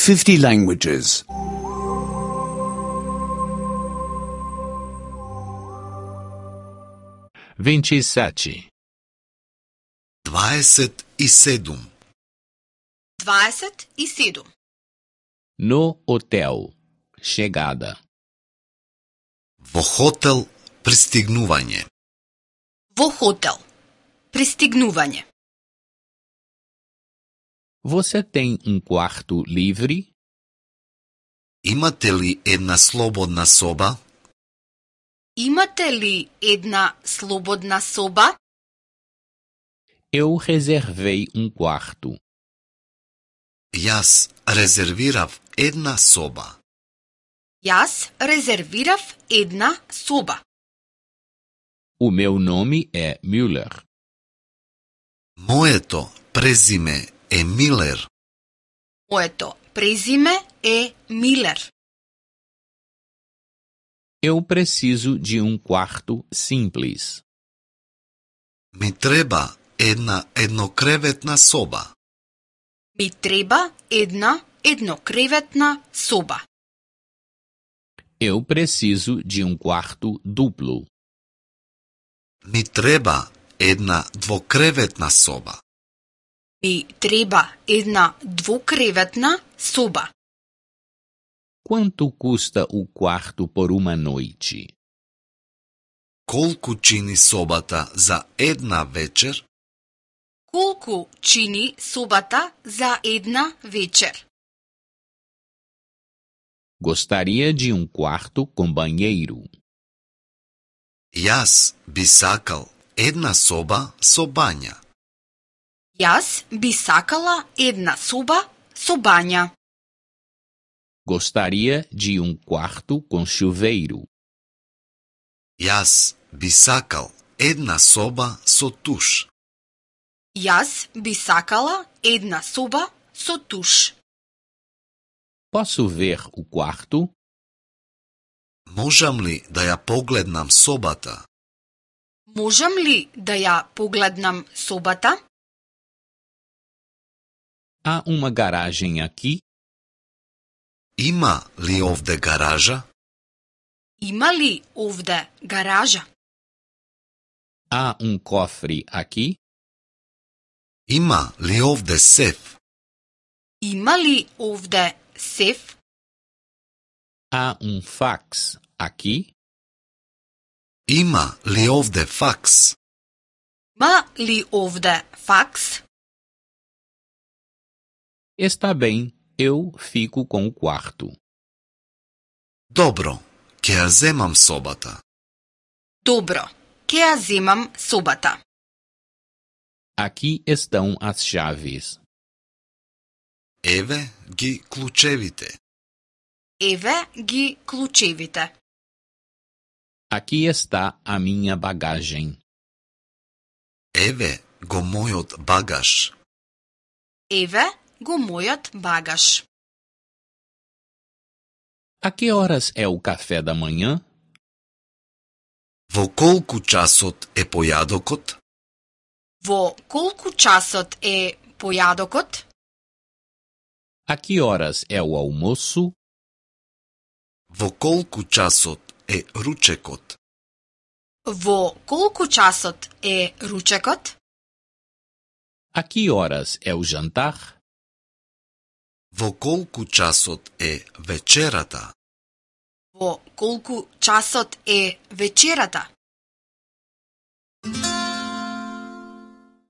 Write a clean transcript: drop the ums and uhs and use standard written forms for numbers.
50 languages. 27. 27. 27. No hotel. Chegada. Во хотел пристигнување. Во хотел. Пристигнување. Você tem quarto livre? Имате ли една слободна соба? Имате ли една слободна соба? Eu reservei quarto. Јас резервирав една соба. Јас резервирав една соба. O meu nome é Müller. Моето презиме е Милер. Моето презиме е Милер. Eu preciso de quarto simples. Ми треба една еднокреветна соба. Ми треба една еднокреветна соба. Eu preciso de quarto duplo. Ми треба една двокреветна соба. Ми треба една двукреветна соба. Quanto custa o quarto por uma noite? Колку чини собата за една вечер? Колку чини собата за една вечер? Gostaria de quarto com banheiro. Јас би сакал една соба со бања. Јас би сакала една соба со бања. Gostaria de quarto com chuveiro. Јас би сакал една соба со туш. Јас би сакала една соба со туш. Posso ver o quarto? Можам ли да ја погледнам собата? Можам ли да ја погледнам собата? Há uma garagem aqui? Има ли овде гаража? Има ли овде гаража? Há cofre aqui? Има ли овде сеф? Има ли овде сеф? Há fax aqui? Има ли овде факс? Има ли овде факс? Está bem, eu fico com o quarto. Добро, ќе ја земам собата. Добро, ќе ја земам собата. Aqui estão as chaves. Еве ги клучевите. Еве ги клучевите. Aqui está a minha bagagem. Еве го мојот багаж. Еве го мојот багаж. A que horas é o café da manhã? Во колку часот е појадокот? Во колку часот е појадокот? A que horas é o almoço? Во колку часот е ручекот? Во колку часот е ручекот? A que horas é o jantar? Во колку часот е вечерата? Во колку часот е вечерата?